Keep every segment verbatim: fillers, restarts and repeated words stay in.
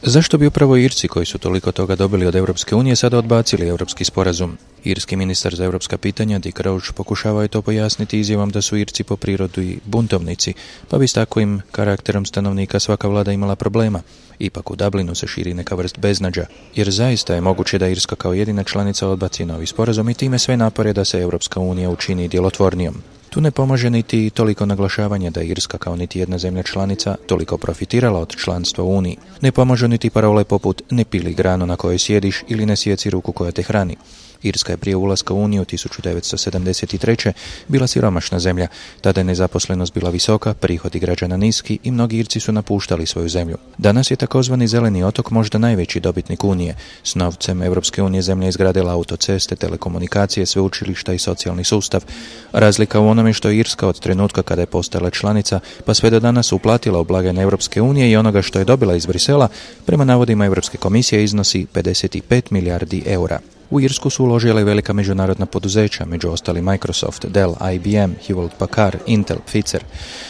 Zašto bi upravo Irci, koji su toliko toga dobili od Europske unije, sada odbacili europski sporazum? Irski ministar za europska pitanja Dick Roach pokušavao je to pojasniti izjavom da su Irci po prirodi buntovnici, pa bi s takvim karakterom stanovnika svaka vlada imala problema. Ipak u Dublinu se širi neka vrst beznađa, jer zaista je moguće da Irska kao jedina članica odbaci novi sporazum i time sve napore da se Europska unija učini djelotvornijom. Tu ne pomaže niti toliko naglašavanje da je Irska kao niti jedna zemlja članica toliko profitirala od članstva u Uniji. Ne pomažu niti parole poput ne pili granu na kojoj sjediš ili ne sjeci ruku koja te hrani. Irska je prije ulaska u Uniju tisuću devetsto sedamdeset treće. bila siromašna zemlja, tada je nezaposlenost bila visoka, prihodi građana niski i mnogi Irci su napuštali svoju zemlju. Danas je takozvani zeleni otok možda najveći dobitnik Unije. S novcem Europske unije zemlja izgradila autoceste, telekomunikacije, sveučilišta i socijalni sustav. Razlika u onome što je Irska od trenutka kada je postala članica pa sve do danas uplatila u blagajne Europske unije i onoga što je dobila iz Brisela, prema navodima Europske komisije iznosi pedeset pet milijardi eura. U Irsku su uložile velika međunarodna poduzeća, među ostali Microsoft, Dell, I B M, Hewlett Packard, Intel, Pfizer.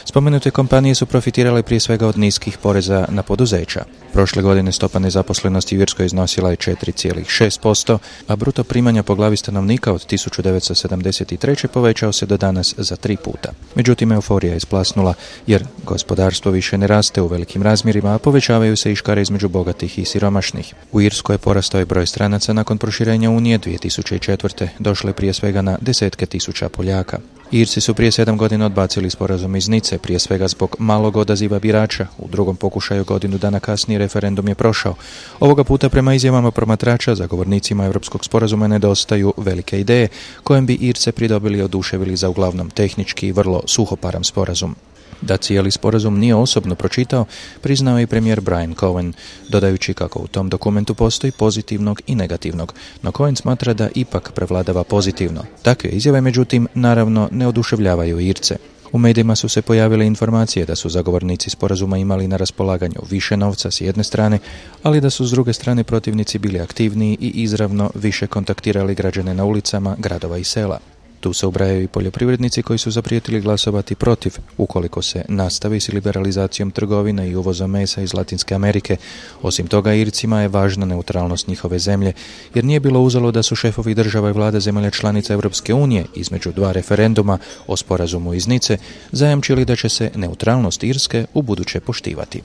Spomenute kompanije su profitirale prije svega od niskih poreza na poduzeća. Prošle godine stopa nezaposlenosti u Irskoj iznosila je četiri zarez šest posto, a bruto primanja po glavi stanovnika od tisuću devetsto sedamdeset treće. povećao se do danas za tri puta. Međutim, euforija je isplasnula, jer gospodarstvo više ne raste u velikim razmjerima, a povećavaju se i škare između bogatih i siromašnih. U Irskoj je porastao je broj stranaca nakon proširenja Unije dvije tisuće četvrte. došle prije svega na desetke tisuća Poljaka. Irci su prije sedam godina odbacili sporazum iz Nice, prije svega zbog malog odaziva birača. U drugom pokušaju godinu dana kasnije referendum je prošao. Ovoga puta prema izjavama promatrača, zagovornicima europskog sporazuma nedostaju velike ideje, kojem bi Irce pridobili i oduševili za uglavnom tehnički i vrlo suhoparan sporazum. Da cijeli sporazum nije osobno pročitao, priznao je i premijer Brian Cohen, dodajući kako u tom dokumentu postoji pozitivnog i negativnog, no Cohen smatra da ipak prevladava pozitivno. Takve izjave, međutim, naravno ne oduševljavaju Irce. U medijima su se pojavile informacije da su zagovornici sporazuma imali na raspolaganju više novca s jedne strane, ali da su s druge strane protivnici bili aktivniji i izravno više kontaktirali građane na ulicama gradova i sela. Tu se ubrajaju i poljoprivrednici koji su zaprijetili glasovati protiv ukoliko se nastavi s liberalizacijom trgovine i uvozom mesa iz Latinske Amerike. Osim toga, Ircima je važna neutralnost njihove zemlje, jer nije bilo uzalo da su šefovi država i vlada zemalja članica Europske unije između dva referenduma o sporazumu iz Nice zajamčili da će se neutralnost Irske ubuduće poštivati.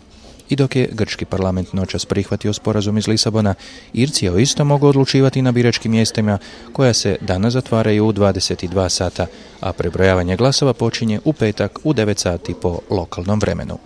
I dok je grčki parlament noćas prihvatio sporazum iz Lisabona, Irci o isto mogu odlučivati na biračkim mjestima koja se danas zatvaraju u dvadeset dva sata, a prebrojavanje glasova počinje u petak u devet sati po lokalnom vremenu.